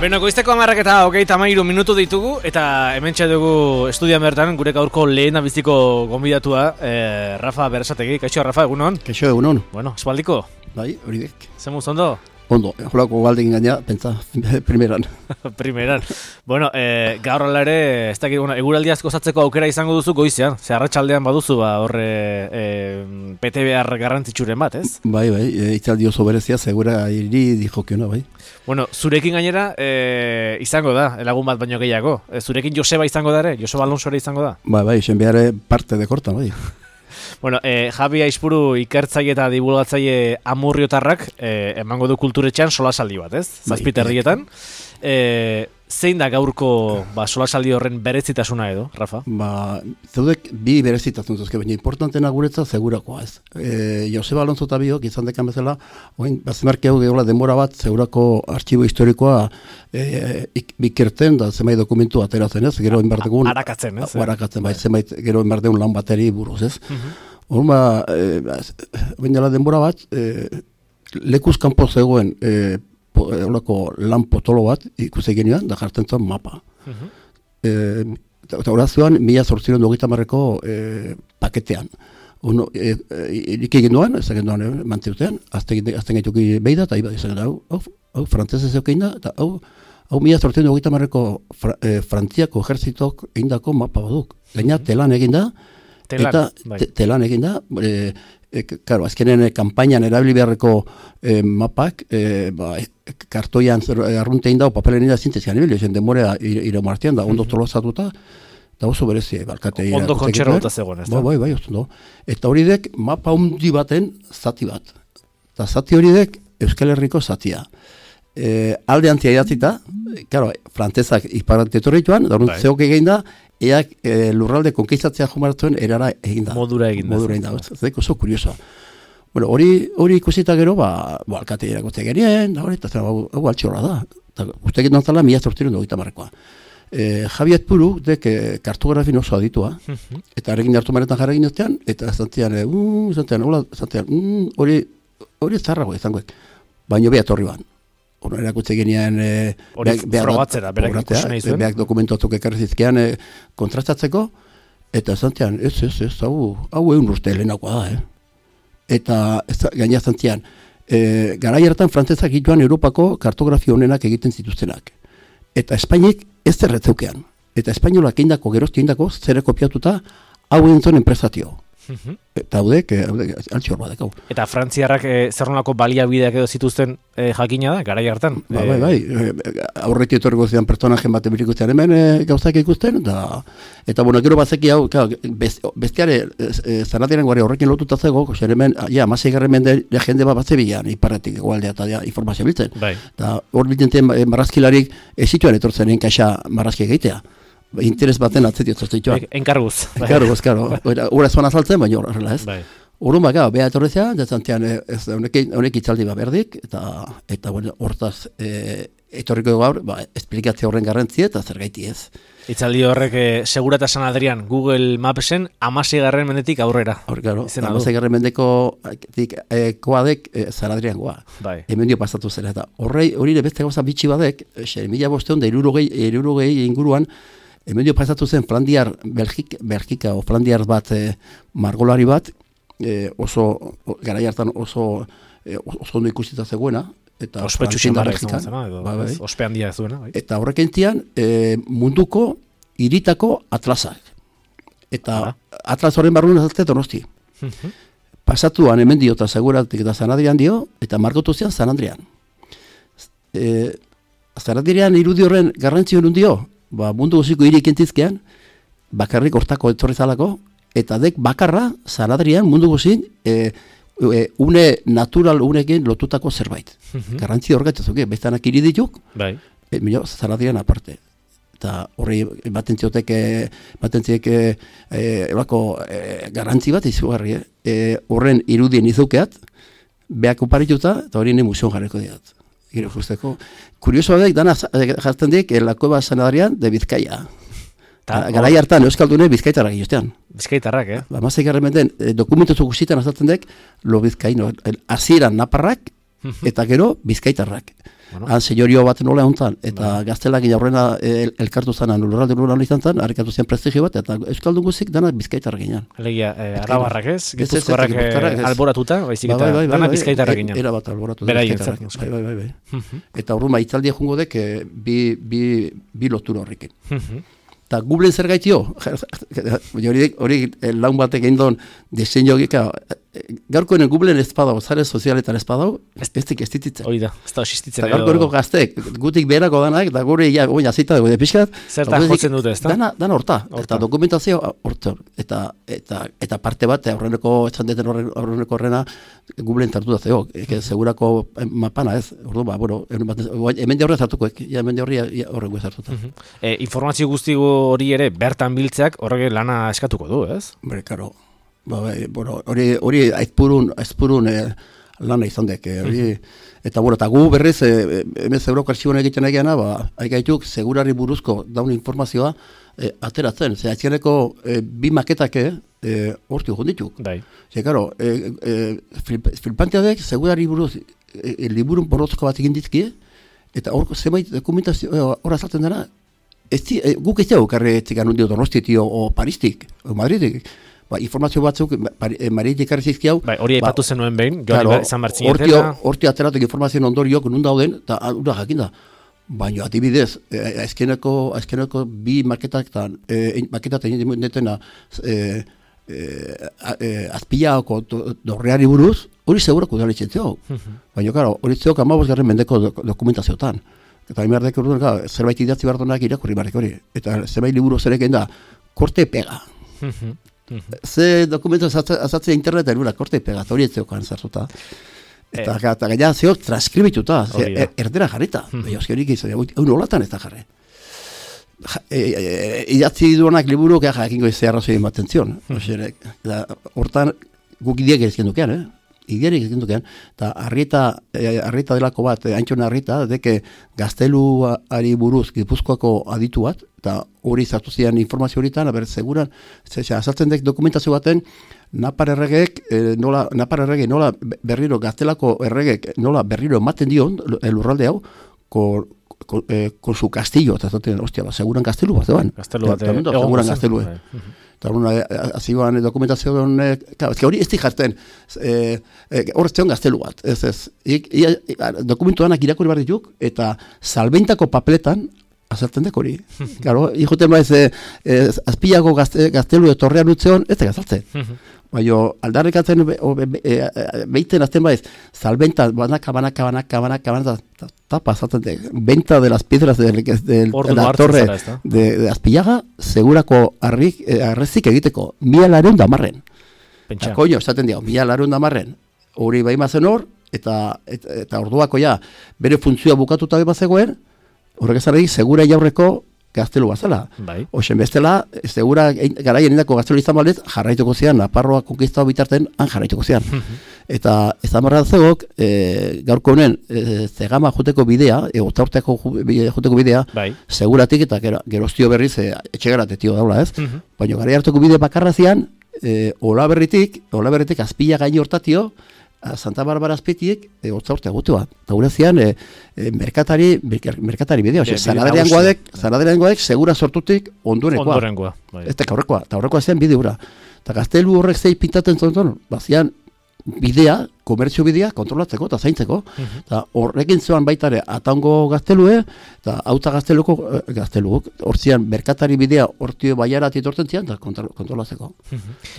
Beno, goizteko 10:23 minutu ditugu, eta hementxe dugu estudian bertan gure gaurko lehen abiziko gonbidatua, Rafa Berasategi. Kaixo, Rafa, egunon? Kaixo, egunon. Bueno, espaldiko? Bai, hori dek. Zemuz ondo? Ondo, jolako galdekin gaina, pentsa, primeran. Primeran. Bueno, gaur ala ere, ez dakit, eguraldi asko zatzeko aukera izango duzu goizean. Ze arratsaldean baduzu, horre PTBR garrantzitsuren bat, ez? Bai, itzaldi oso berezia, segura iri dijokiona, bai. Bueno, zurekin gainera izango da, lagun bat baino gehiago. Zurekin Joseba izango da ere? Joseba Alonso ere izango da? Bai, esen behar parte de kortan, bai. Bueno, Javi Aizpuru ikertzaile eta divulgatzaile amurriotarrak emango du kulturetxean solasaldi bat, ez? Zazpiterrietan. Zein da gaurko solasaldi horren berezitasuna edo, Rafa? Zeudek bi berezitasun zuzke, baina importantena guretza segurakoa, ez? Joseba Alonso eta biok izan dekan bezala, oin, bazemarki hau gehola denbora bat, segurako artxibo historikoa bikerten da zenbait dokumentu ateratzen, ez? Gero inbardegun... Arakatzen, ez? Arakatzen, bai, zenbait gero inbardegun lan bateri buruz, ez? Horma, baina denbora bat, lekuz kanpo zegoen lan potolo bat ikusi genuan, da jartzen zuen mapa. Eta horazioan, 1830 paketean. Irik egin duan, ez egin duan mantziutean, azten gaituki behi da, eta izan hau frantzese zeukein da, eta hau 1830 Frantziako ejertzitok egin dako mapa baduk. Gaina telan egin da, eta telan egin da, claro, azkenen kampainan erabili beharreko mapak, kartoian arruntein da, papelen da zintezkan ebili, ezen demorea ire martian da, ondo tolozatuta, da oso berezi, balkate. Ondo kontxerrota zegoen, ez da? Bai, ondo. Eta hori dek, mapa hundi baten zati bat. Eta zati hori dek, Euskal Herriko zatia. Alde antia idatzita, claro, frantzezak iparantetorrituan, da hori zeok egin da, eak lurralde konkistatzea jumaratuen erara egin da. Modura egin da. Zek oso kurioso. Bueno, hori ikusita gero, alkate irakotzea gerien, da hori, eta hau altxorra da. Uste egin dantzala, 1830 Javi Aizpuru, dek kartografin oso aditua, eta arekin hartu maretan jarra egin ostean, eta zantian, hori zarrago izangoek, baino beha torri ban. Hora erakutze genean frogatzera, berak ikusen nahi zuen. Beak dokumentuatuk ekarri zizkean kontrastatzeko, eta zantian, ez, hau egun urte lehenakoa da, Eta gaina zantian, garai hartan frantzezak ituan Europako kartografia honenak egiten zituztenak. Eta Espainik ez zerretzeukean. Eta Espainolak eindako, gerozti eindako, zere kopiatuta hau entzon enpresatio. Eta haudek, altxor badek hau. Eta frantziarrak zerronako baliabideak edo zituzten jakina da, garai hartan? Bai, aurreti etorriko zidan personajen bat ebirikustean hemen gauzak ikusten, eta bueno, gero bazeki hau, bestiare zanatiaren guari horrekin lotuta zego, zer hemen, amasei garren mende jende bat zebilan, iparretik egualdea eta informazio biltzen. Eta hor biltzen marrazkilarik ezituan etortzen kaxa marrazki egitea. Interes baten atzetio zaztitxoa. Enkarguz. Enkarguz, karo. Hora zuan azaltzen, baina horrela ez. Horun baka, beha etorrezea, zantean honek itzaldi bat berdik, eta hortaz etorriko gaur, esplikatzea horren garrantzi eta zer gaiti ez. Itzaldi horrek Segura eta San Adrian Google Mapsen 16. mendetik aurrera. Hor, karo, 16. mendeko koadek San Adrian goa. Hemen dio pasatu zera. Eta hori beste gauza bitxi badek, 1500 inguruan, hemen dio pasatu zen Flandiar, Belgika o Flandiar bat margolari bat, oso, garai hartan oso ondo ikusita zegoena, eta ospetsu txindarra izan zena, ospe handia ez duena. Eta horrek entzian, munduko iritako atlasak. Eta atlas horren barruan azaltzea Donosti. Pasatuan hemen dio eta Seguratik eta San Adrian dio, eta margotu zian San Adrian. San Adrian irudi horren garrantzio nun dio, mundu guziko hirik entzizkean, bakarrik hortako etorri zalako, eta dek bakarra San Adrian mundu guzin une natural unekin lotutako zerbait. Garrantzi horretzazuke, bestanak iridituk, San Adrian aparte. Eta horri baten ziek garrantzi bat izugarri. Horren irudien izukeat, behak uparituta, eta hori museon jarriko diat. Gero justeko. Kuriosoa dek, dana jartzen dik, la Cueva San Adrian de Bizkaia. Garai hartan euskaldune bizkaitarrak guztian. Bizkaitarrak, Amazek garren menden dokumentu guztietan azaltzen dek, lo bizkaino. Hasieran naparrak, eta gero bizkaitarrak. Han senyorio bat nola hontan, eta gaztelakin aurrena elkartu zanan, lurralde izan zen, harrikatu zen prestigio bat, eta euskaldun guzik dana bizkaitarrak ginean. Alegia, arabarrak ez? Gipuzkoarrak alboratuta, baizik eta dana bizkaitarrak ginean. Era bat alboratu. Beraientzat. Bai. Eta horruma itzaldia jungo dek bi lotura horrekin. Eta Googleen zer gaitio, hori laun batek egin duen diseño gika, gaurkoen Googleen ez badau, zare sozialetan ez badau, ez dititzen. Hori da, ez da osistitzen. Gaurko gaztek, gutik beherako danak, da gure azita dugu pixkat. Zertan jotzen dute, ez da? Dana horta, eta dokumentazio horta. Eta parte bat, aurreneko horrena, Googleen tartu da zeo, segurako mapana ez, ordu ba, bueno, hemen de horre zartuko, hemen de horrengo ez hartuta. Informazio guzti hori ere bertan biltzeak horrek lana eskatuko du, ez? Bere, karo. Hori aizpurun lana izan dek. Eta gu berriz, hemen Euroko Arxiboan egiten egiana, haigaituk segurari buruzko daun informazioa ateratzen. Aizkianeko bi maketak horti jondituk. Ze, karo, filpanteadek segurari buruz liburun borrozko bat egin dizkie, eta hor zemait dokumentazio hor azaltzen dena, guk ez dugu karre etzikan hundio Donostitio o Paristik, o Madridik. Informazio batzuk, Maritik karri zizkiau. Hori aipatu zenuen behin, joan izan bartzinetela. Horti ateratuk informazioen ondoriok nun dauden, eta ura jakinda. Baina, adibidez, azkeneko bi maketak egin detena azpilaoko dorreari buruz, hori segurako udalitzen zeo. Baina, karo, hori zeok 15. mendeko dokumentaziotan. Eta imerdek urduan, zerbait idatzi bardonak irakurri barrik hori. Eta zerbait liburu zereken da, korte pega. Ze dokumento azatzea interneten gura, korte pega, hori ez zeokan zartuta. Eta gaina zeok transkribituta, erdera jarrita. Euski horik izan, egun olatan ez da jarri. Idatzi duanak liburu, jakingo izan arrazoi ematen zion. Hortan, guk ideak ezken dukean, Iderik egin dukean, eta Arrieta delako bat, Antxona Arrieta, deke gazteluari buruz Gipuzkoako aditu bat, eta hori zartu zian informazio horitan, aber seguran, azaltzen dek dokumentazio baten, Napar erregek nola berriro, gaztelako erregek nola berriro ematen dion, lurralde hau, con su castillo, eta zaten, ostia, seguran gaztelu bat, zeban. Gaztelu bat, seguran gaztelu. Eta azioan dokumentazio hori ez di jartzen, horretzean gaztelu bat, dokumentuanak irakurri behar dituk, eta salbentako papeletan azaltzen dek hori. Claro, hijoten baiz, azpilako gaztelu etorrean utzeon, ez da gazaltzen. Baina aldarrikatzen behiten azten baiz, salbenta, banaka, tapa, azaltzen dek, benta de las piedras de la torre de Azpillaga, segurako arrezik egiteko, 1.210. Eta koño, esaten diau, 1.210. Hori bai mazen hor, eta orduako ja, bere funtzioa bukatuta bai bazegoen, horrek ezan segura jaurreko gaztelu bazala. Oixen bestela, segura garaien indako gaztelu izan baldez, jarraituko zian, Naparroa konkistau bitarten, han jarraituko zian. Eta ez amarra zegok, gaurko honen, zegama juteko bidea, egotaurteako juteko bidea, seguratik eta geroztio berriz, etxegarat etio daula ez. Baina gara hartuko bide bakarra zian, Olaberritik azpila gaini hortatio, Santa Barbara azpetiek, otzaurtea gutua. Eta gure zian, merkatari bidea. Zanaderean goadek, segura sortutik ondurenekoa. Eta horrekoa zen bide hura. Eta gaztelu horrek zei pintatzen zonton, bazian bidea, komertzio bidea, kontrolatzeko eta zaintzeko. Eta horrekin zoan baitare atango gaztelue, eta auta gazteluk, hortzian merkatari bidea hortio baiarat itortzen zian, eta kontrolatzeko.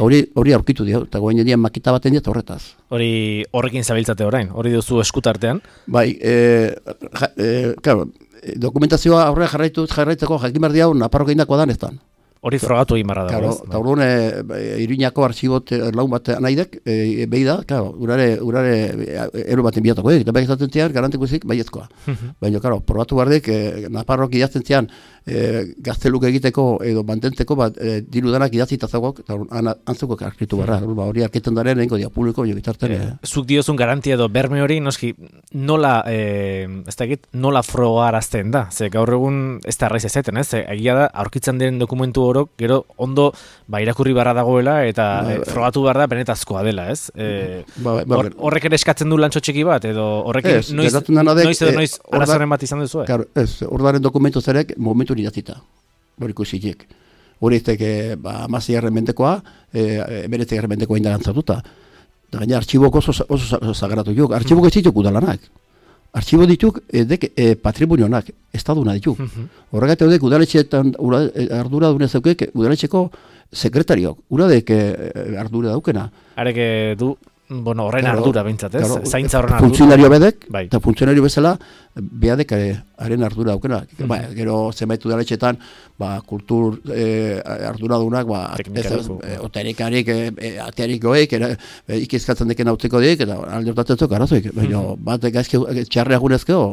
Hori aurkitu dio, eta goen dian makita baten diat horretaz. Horrekin zabiltzate orain, hori duzu eskutartean? Bai, claro, dokumentazioa aurrera jarraitzeko jakin behar diau, Naparroko indako dan ez dan. Hori frogatu egin barra dago, ez? Eta orduan, Iruñako arxibot laun bat naidek, behi da, urare ero baten biatako, eta behi zaten zian, garantiko zik, baiezkoa. Baina, probatu bardek, Naparrok idazten zian, gazteluk egiteko edo mantentzeko bat dirudanak idatzita zagok, eta antzuko arkritu barra, hori arketen daren egingo dia publiko, jo bitarten. Zuk diozun garantia edo berme hori, noski, nola frogarazten da? Ze gaur egun ez da arraiz ezeten, ez? Egia da, aurkitzen den dokumentu orok gero ondo irakurri barra dagoela eta frogatu behar da benetazkoa dela, ez? Horrek ere eskatzen du lantxo txiki bat, edo horrek noiz arazoren bat izan duzu? Claro, ordaren dokumentu zerek momentu nirazita, hori ikusiek. Hori izteke, 16. mendekoa, 19. mendekoa indarantzatuta. Da gaina artxibok oso sagratu juk. Artxibok ez dituk udalanak. Artxibo dituk patrimonionak, estaduna dituk. Horregatik dek udaletxeetan ardura dune zeukek udaletxeko sekretariok. Uradek ardura daukena. Arek du, horren ardura bintzat, ez? Claro, zaintza horren ardura. Funtzionario bedek, eta funtzionario bezala, behadek haren ardura daukena. Gero zenbait udaletxeetan, kultur arduradunak, oterikarik, atearik goek, ikizkatzen deken hautzeko dik, eta alde hortatzen zuk arazoik. Baina, bat txarreak gunezkeo.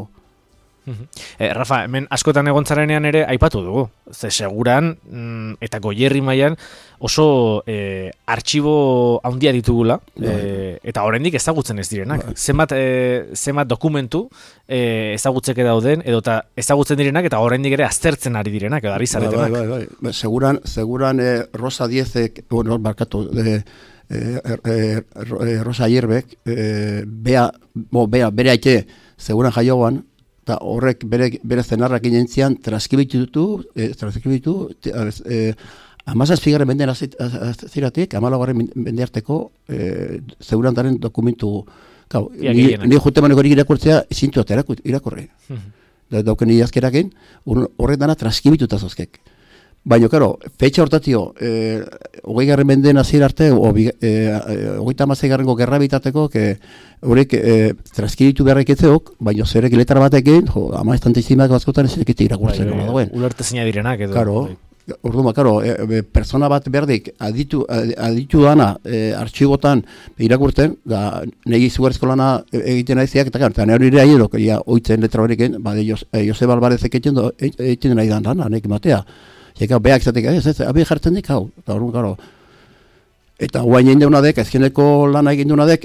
Rafa, hemen askotan egontzarenean ere aipatu dugu. Ze seguran, eta Goierri mailan oso artxibo handia ditugula, eta oraindik ezagutzen ez direnak. Zenbat dokumentu ezagutzeke dauden, edota ezagutzen direnak, eta oraindik ere aztertzen ari direnak, edo ari zaretenak. Bai. Seguran Rosa Diezek, barkatu, Rosa Hierbek, bere aite, seguran jaioan, eta horrek bere zenarrak inentzian transkribitu, 17. menden aziratik, 14. mende arteko zeurantaren dokumentu. Ni jutemaneko hori irakurtzea zintu eta irakurri. Dauken idazkerakin, horrek dana transkibituta zozkek. Baina, karo, fetxa hortatio, 20. menden azir arte, 36. gerra bitateko, horrek transkribitu beharrek etzeok, baina zerek letara batekin, ama estantizimak bazkotan ezek irakurtzen. Ulertezina direnak edo. Karo, orduan, persona bat berdik aditu dana artxibotan irakurtzen, da negi izugarrizko lana egiten aiziak, eta nire nire aierok, oitzen letra horrekin, Joseba Alvarezek egiten nahi dan lana, nek matea. Eka beak zatek, abe jartzen dik hau, eta orduan, karo. Eta guain egin deunadek, azkeneko lana egin deunadek,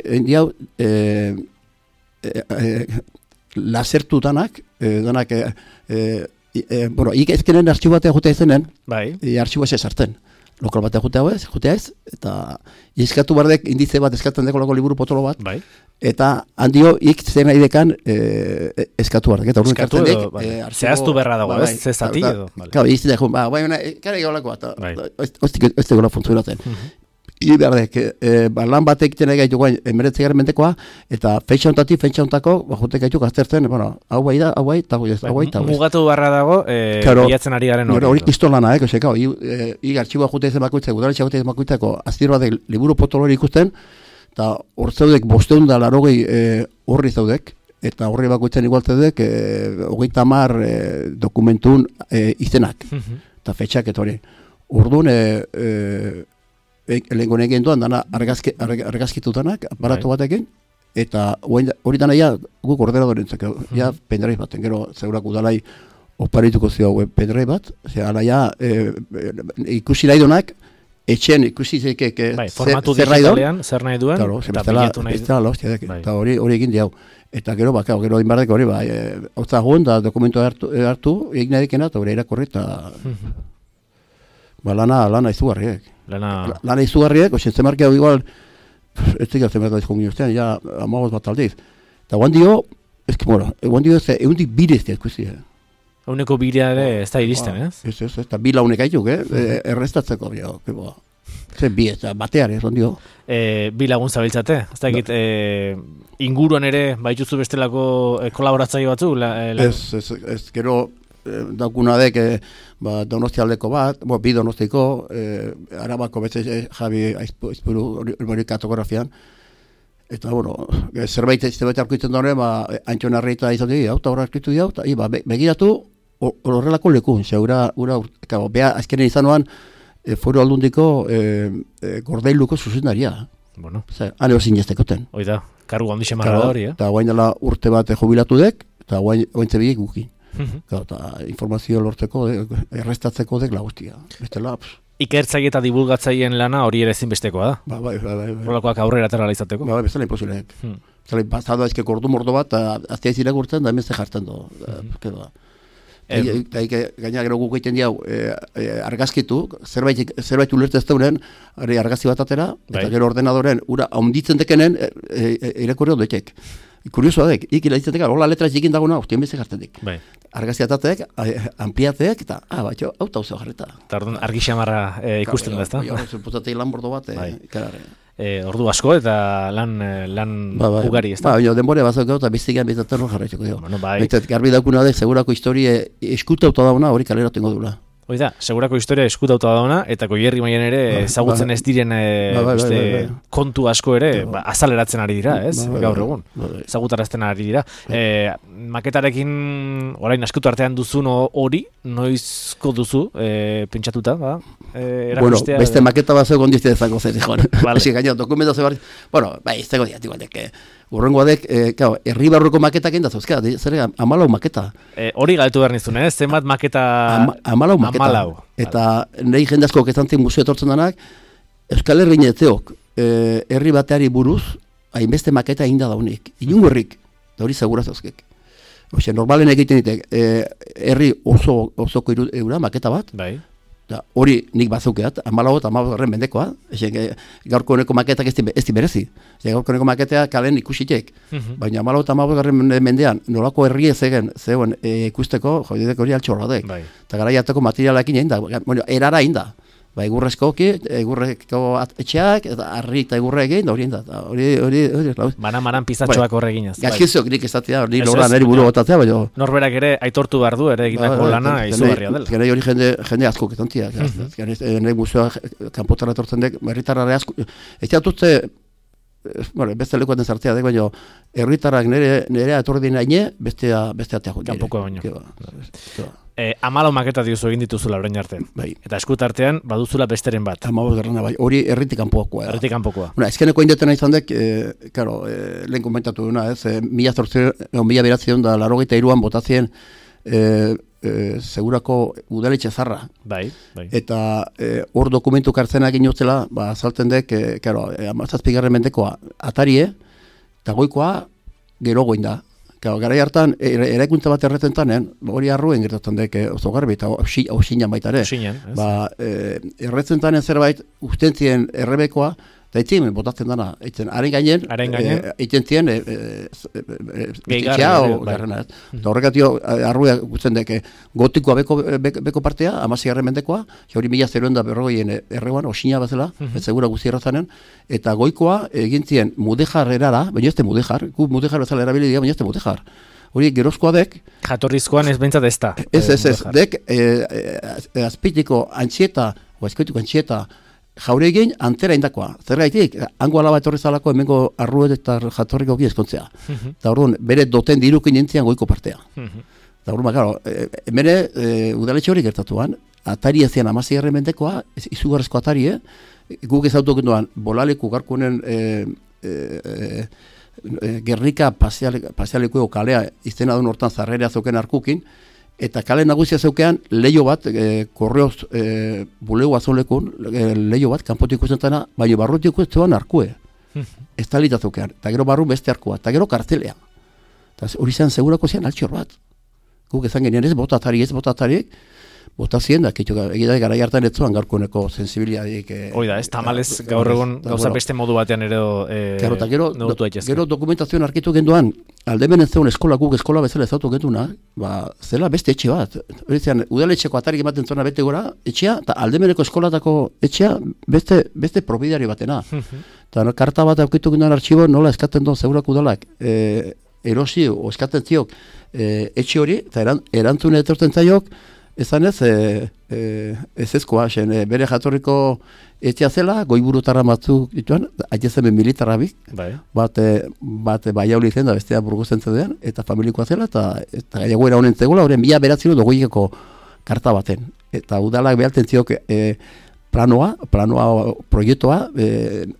lasertu danak, ezkenen artxiboatea jutea izenen, artxiboa ez sartzen. Lokal batea jutea ez, eta izkatu bardek indize bat eskatzen deko loko liburu potolo bat, eta handio zen nahi dekan eskatu bardek. Eta urun kartzen dek, zehaztu berra dago, ez? Zezati edo? Kau, izte dek, kare gaulako bat, ez degola funtzionatzen. Iberdek, lan batek egiten egaitu guain, 19. mendekoa, eta feitxa ontako, jotek gaitu aztertzen, hau bai, eta hau bai. Mugatu barra dago, bilatzen ari garen hori. Hori pistolana, artxiboa jute izan bakoitzeko, udaletxea jute izan bakoitzeko, aztir batek liburu potolori ikusten, eta hor zaudek 580 horri zaudek, eta horri bakoitzen igualtzedek, 30 dokumentun izenak, eta feitxak eta hori. Orduan, lehenko egin duan, dana argazkitutanak, aparatu batekin, eta hori dana guk ordenadorentzak, pendrive baten, gero zeurak udalai oparituko zio pendrive bat, ikusi nahi duenak, etxen ikusi zekek formatu digitalean, zer nahi duen, eta bilatu nahi duen. Eta hori egin diau. Eta gero, gero inbardek hori, hau zagoen, da dokumentu hartu, egin nahi dikena, eta hori irakorri, eta lana izugarriek. Lana izugarriek, ozen markia igual, ez dira zemarka dizko ginen ja amagoz bat aldiz. Eta guan dio, egundik bire ez ikusi. Eguneko birea ere ez da iristen, ez? Ez, eta bi launek aituk, errestatzeko, zen bi, eta batear, ez ondio. Bi lagun zabiltzate, ez da egit, inguruan ere, baituzu bestelako kolaboratzaile batzu? Ez, gero, daukuna dek donostialdeko bat, bi donostiko, Arabako betze Javi Aizpuru hori kartografian, eta zerbait arkuitzen duen, Antxon Arreita izan dugu, eta horra arkuitu dugu, eta begiratu horrelako lekun, beha azkenen izanoan Foru Aldundiko Gordailuko zuzendaria. Hane hor zineztekoten. Oida, kargu handixe marra hori, eta guain dela urte bat jubilatu dek, eta guain zebiek gukin. Eta informazio lortzeko, errestatzeko dek lagustia. Ikertzaile eta divulgatzaileen lana hori ere ezinbestekoa da. Bai. Horrelakoak aurrera aterala izateko. Bai, bezala imposileek. Pasado ezke kordu mordo bat, aztea izirakurtzen, da hemen ze jartzen du. Gaina gero guk egiten diau argazkitu, zerbait ulertu ez daunen, argazki bat atera, eta gero ordenadoren ura haunditzen dekenen irakurri ondoitek. Kuriosoa dek, ikila ditzetek, hola letra txikin daguna, ostien bezek hartetik. Argazki atatek, ampliatek, eta, batxo, auta hau jarreta. Eta orduan argi xamarra ikusten da, ezta? Potatei lan bordo bat, ordu asko eta lan ugari, ezta? Denbore bat zaukau eta biztikan bizatzen hor jarretxeko. Garbi daukuna dek, segurako historie eskutauta dauna hori kalera tengo dula. Hoi da, segurako historia eskutauta dauna, eta Goierri mailan ere ezagutzen ez diren kontu asko ere azaleratzen ari dira, ez? Gaur egun, ezagutarazten ari dira. Maketarekin orain askotu artean duzun hori, noizko duzu pentsatuta, erakustea? Beste maketa bat zegoen dizte dezako zer, Esi gaina, dokumentazio bat, ez tego diatik, urrengoa dek, herri barruko maketak egin da zauzka, zer 14 maketa. Hori galtu behar nizun, zenbat maketa... 14 maketa. Eta nahi jendazko kezantzien museo etortzen danak, Euskal Herri netzeok herri bateari buruz, hainbeste maketa egin da daunik. Inungo herrik, da hori segura zauzkek. Normalen egiten ditek, herri osoko eura maketa bat, hori nik bazaukeat, 14 eta 15 mendekoa, gaurko honeko maketak ez di berezi. Gaurko honeko maketea kalen ikusitek, baina 14 eta 15 mendean nolako herri ez zegoen ikusteko, joidek hori altxorra dek. Eta gara jateko materialakin egin da, erara egin da. Egurrezko etxeak, eta harri eta egurre egin, hori egin da. Maran pizatxoak horre eginaz. Gazkizok nik ezatea, hori lora neri buru gotatzea, baina... Norberak ere aitortu behar du, ere egindako lana izugarria dela. Gero hori jende asko ketontia. Nire museoa kanpotara etortzen dek, herritarrare asko... Ez jatutze, beste lekuaten zartea dek, baina herritarrak nire etorri dina ine, bestea teago. Kanpoko baino. 14 maketa diozu egin dituzula orain arte. Eta eskutartean baduzula besteren bat. 15 bai. Hori herritik kanpokoa. Herritik kanpokoa. Ezkeneko indetena izan dek, lehen komentatu duna, 1983an botazien segurako udaletxe zarra. Bai. Eta hor dokumentu kartzenak inotzela, azalten dek, 17. mendekoa atarie, eta goikoa gero goin da. Garai hartan, eraikuntza bat erretzentanen, hori arruen gertatzen dek oso garbi, eta hausinan baita ere. Erretzentanen zerbait, ustentzien errebekoa, eta etzien botatzen dana. Haren gainen, etzen zien, garrana. Eta horrekatio, arruea gutzen dek, gotikoa beko partea, 16. mendekoa, hori 1040 erreguan, hausinan bazela, ez segura guzti errazanen, eta goikoa egintzien mudejar erara, baina ez de mudejar, gu mudejar bezala erabili dira, baina ez de mudejar. Hori gerozkoa dek... Jatorrizkoan ez bentsat ez da. Ez, dek azpitiko antxieta, o azkoitiko antxieta, jaure egin antera indakoa. Zergaitik, hango alaba etorri zalako hemengo arruet eta jatorriko ezkontzea. Eta orduan, bere doten dirukin entzian goiko partea. Eta orduan, hemen udaletxe hori gertatuan, atari ezian 16. mendekoa, izugarrezko atari, guk ez autokenduan, bolaleku garkunen Gernika pasialeko kalea izena duen hortan zarrerea zeuken arkukin, eta kale nagusia zeukean leio bat, korreoz bulego azolekun, leio bat, kanpotik ikusten baina barrutik ikusten arkue. Ez talita zeukean, eta gero barru beste arkua, eta gero kartelea. Hori zen segurako zian altxor bat. Guk ezan genien ez botatariek, botazien da, egitea gara hartan ez zuan gaurkoneko sensibiliadik. Hoi da, ez tamalez gaur egun gauza beste modu batean ere neurtu daitezke. Gero dokumentazioan arkitu genduan, aldemenen zeun eskola, guk eskola bezala ezautu genduna, zela beste etxe bat. Hori zean, udaletxeko atarik ematen zona bete gora, etxea, eta aldemeneko eskolatako etxea beste propiedari batena. Eta karta bat aukitu genduan artxibo, nola eskaten duen segurako udalak, erosi o eskaten ziok etxe hori, eta erantzune etortzen zaiok, ezan ez, ezkoa, bere jatorriko etxea zela, goiburutarra batzuk dituan, aitezen militarra bik, bat baiauli zen da bestea burguzen zedean, eta familikoa zela, eta gaiagoera honen zegula, horren 1920ko karta baten. Eta udalak behalten ziok planoa, proiektua,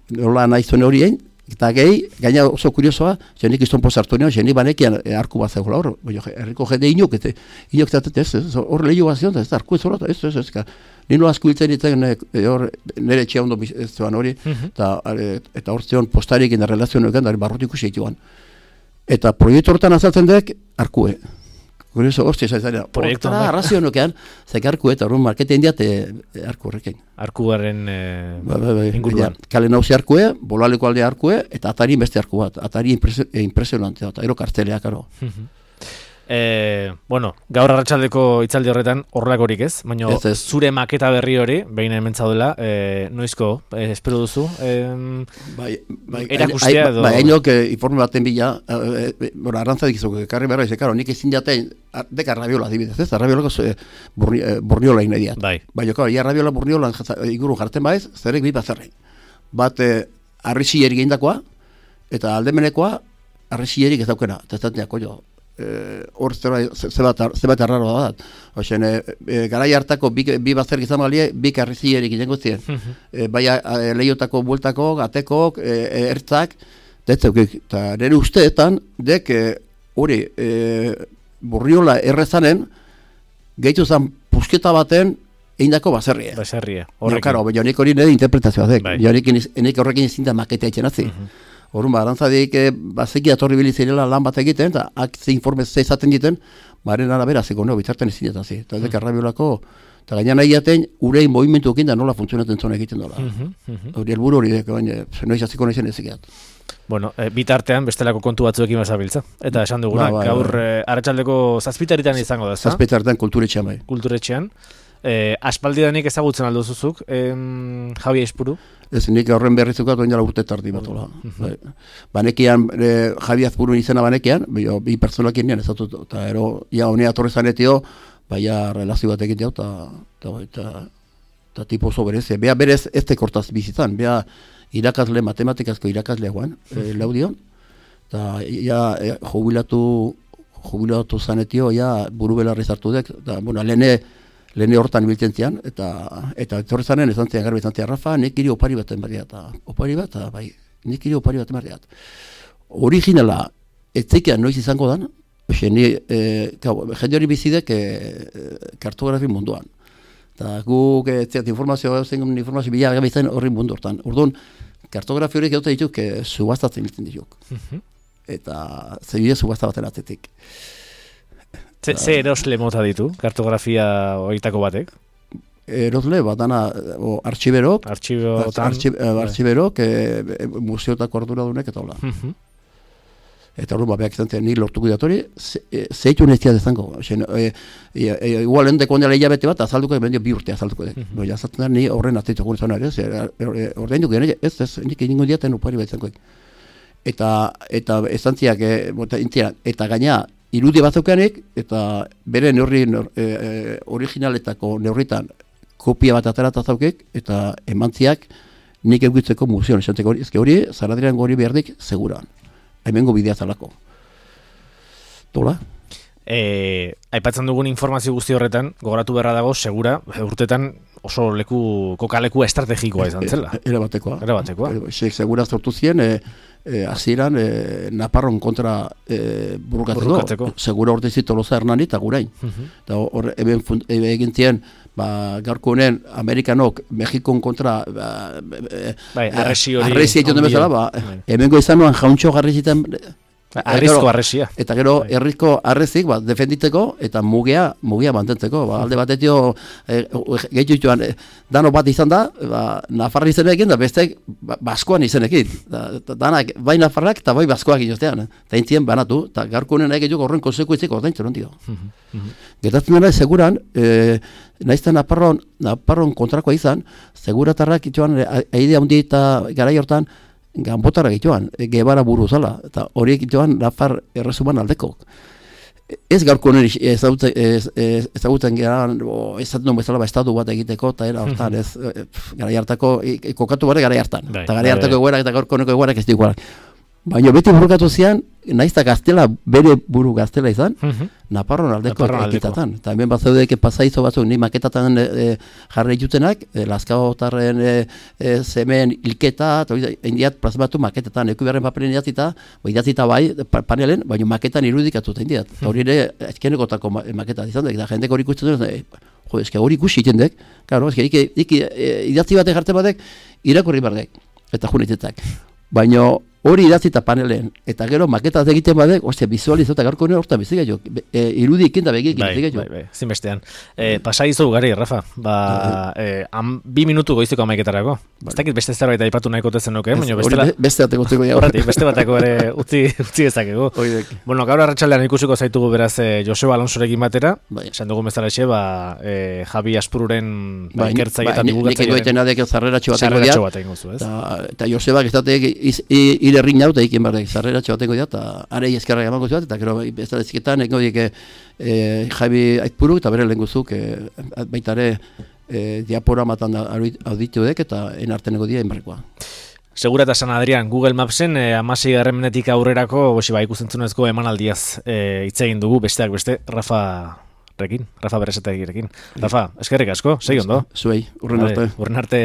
nola nahi zuen horien, eta gehi, gaina oso kuriosoa, jenik izton posartu nio, jenik banekian arku bat zegoela hor, herriko jende inok zatet ez, hor lehio bat zion, ez da, arku ez hor, ez, nino asko hiltzen ditzen nire etxea ondo zegoan hori, eta hor zion postarik errelazioan egin, barrutik ikusi joan. Eta proiektu horretan azaltzen dek, arkue. Gure oso, hostia, zaizaren, Proiektu hortara arrazio nokean, zek arku eta horren marketein diat arku horrekin. Arkuaren inguruan. Kale nauzi arkue, bolaleko alde arkue, eta atari beste arku bat. Atari impresionantea, eta ero kartelea, karo. Bueno, gaur arratsaldeko hitzaldi horretan horrelakorik ez, baina zure maketa berri hori, behin hemen zaudela, noizko, espero duzu? Erakustea edo... Hainok informe baten bila, arrantzadik izoko, karri berra izan, karo, nik ezin jaten, deka rabiola dibidez, ez? Rabiolako burniola inediat. Baina, karo, rabiola burniola inguru jartzen baiz, zerek bi bazerri. Bat, arrixilleri gehindakoa, eta aldemenekoa, arrixillerik ez daukena, eta ez dateako jo. Hor zebat arraro da. Oxen, garai hartako bi bazer gizan balie, bi karrizierik izango ziren. Bai lehiotako bueltako, gatekok, ertzak, eta nire usteetan, dek hori burriola errezanen, gehitu zen pusketa baten eindako baserria. Baserria, horrekin. Karo, nik hori nire interpretazioa dek. Nik horrekin ezin da maketea itxenatzi. Horren, arantzadik, bazeki atorri bilizirela lan bat egiten, eta ze informe ze izaten egiten, baren arabera zeko neo, bitzarten ezin jatazi. Eta dek arrabiolako, eta gainan nahi jaten, urei movimentu ekin da nola funtzionatzen zona egiten dola. Hori helburu hori dek, baina, noiz aziko noizen ezikiat. Bueno, bitartean bestelako kontu batzuekin bazabiltza. Eta esan duguna, gaur arratsaldeko zazpitaritan izango da, ez da? Zazpitaritan kulturetxean bai. Kulturetxean. Aspaldidanik ezagutzen alduzuzuk, Javi Aizpuru? Ez, nik horren berrizukat oin dela urte tardi batola. Banekian, Javi Aizpuru izena banekian, bi personakin nian ezatut, eta ero, ja, honea torre zanetio, baina relazio bat egin eta tipo oso berezia. Bea berez ez tekortaz bizitzan, bea irakasle, matematikazko irakasle guan, laudion, eta ja, jubilatu zanetio, ja, buru belarri zartu dek, eta, bueno, lehene hortan ibiltzen zian, eta etorri zanen esan zian garbi esan zian, Rafa, nik iri opari bat emarriat, bai, nik iri opari bat emarriat. Originala, ez zeikean noiz izango dan, jende hori bizidek kartografi munduan. Eta guk, informazio bila gabitzen horri mundu hortan. Orduan, kartografi horiek egote dituk, subaztatzen biltzen dituk. Eta zebide subazta baten atzetik. Ze erosle mota ditu, kartografia horietako batek? Erosle, bat dana, artxiberok, museotako arduradunek eta hola. Eta hori, beak izan zen, ni lortuko datori, zeitu neztia dezango. Igual endeko ondela hilabete bat, azalduko, bendio 2 urte azalduko dek. Baina azaltzen da, ni horren atzituko nizona ere, ordein dugu, ez, nik egingo diaten upari bat izango. Eta estantziak, eta gaina, irudi batzukanik, eta bere neurri originaletako neurritan kopia bat aterata zaukek, eta emantziak nik eguitzeko museoan. Esanteko hori, Zaradiran hori behardik, seguran. Hemengo bidea zalako. Tola? Aipatzen dugun informazio guzti horretan, gogoratu beharra dago, segura, urtetan oso kokaleku estrategikoa izan zela. Erabatekoa. Segura sortu zien, hasieran Naparron kontra burukatzeko. Segura orte zit Tolosa Hernani eta gurain. Eta hor egin zien, gaurko honen Amerikanok Mexikon kontra arresi egiten bezala, hemengo izan nuan jauntxo garrizitan Arrizko arresia. Eta gero herriko arrezik defenditeko eta mugia mantentzeko. Alde batetio gehitu joan dano bat izan da, Nafarra izenekin da bestek Baskoan izenekin. Danak bai Nafarrak eta bai Baskoak inostean. Eta intzien banatu, eta gaurko honen egituk horren konsekuentziko ordaintzen ondio. Getatzen dena seguran, naizten Naparron kontrakoa izan, seguratarrak joan aidea hundi eta garai hortan, ganbotara gituan, Gebara buru zala, eta horiek gituan Nafar erresuman aldeko. Ez gaurko honen ezagutzen geran, ezaten duen bezala estatu bat egiteko, eta era hortan, ez garai hartako, kokatu bare garai hartan. Eta garai hartako egoerak eta gaurko honeko egoerak ez diguarak. Baina beti burukatu zian, naizta gaztela, bere buru gaztela izan, Naparron aldeko ekitatan. Eta hemen bat zeudeke pasaizo batzuk, ni maketatan jarri ditutenak, Lazkaotarren zemen hilketa, eta indiat plazmatu maketatan, eku beharren papelen idatzita bai, panelen, baina maketan irudikatu indiat. Eta hori ere, ezkenekotako maketat izan dek, da jendek hori ikusten dut, eske hori ikusi itendek, idatzi batek jartzen batek, irakurri bardek, eta junitetak. Baina hori idatzita panelen, eta gero maketaz egiten badek, ostia, bizualizota garko nire hortan bizik jo, irudi ikin da begik bizik jo. Bai, zinbestean. Pasa izu gari, Rafa, 2 minutu goizeko amaiketarako. Ez dakit beste zerbait aipatu nahiko tezen nuke, baina bestela... Beste bateko utziko ja. Horretik, beste bateko ere utzi ezakegu. Bueno, gaur arratsaldean ikusiko zaitugu beraz Joseba Alonsorekin batera, esan dugu bezalaxe, Javi Aspururen ikertzaile eta divulgatzaile. Nik egoiten adek zarreratxo batengo dia. Eta Joseba gestatek irerrin naut eikin barrek zarreratxo batengo dia, eta arei eskerrak emango zuat, eta gero bezaleziketan eko dik Javi Aspuruk eta bere lehenguzuk baitare diaporamatan auditu dek eta enarteneko dia enbarrekoa. Segura eta San Adrian, Google Mapsen 16. menetik aurrerako ikusentzunezko emanaldiaz hitz egin dugu besteak beste Rafa Beresetegirekin. Rafa, eskerrik asko, segi ondo. Zuei, urren arte. Urren arte.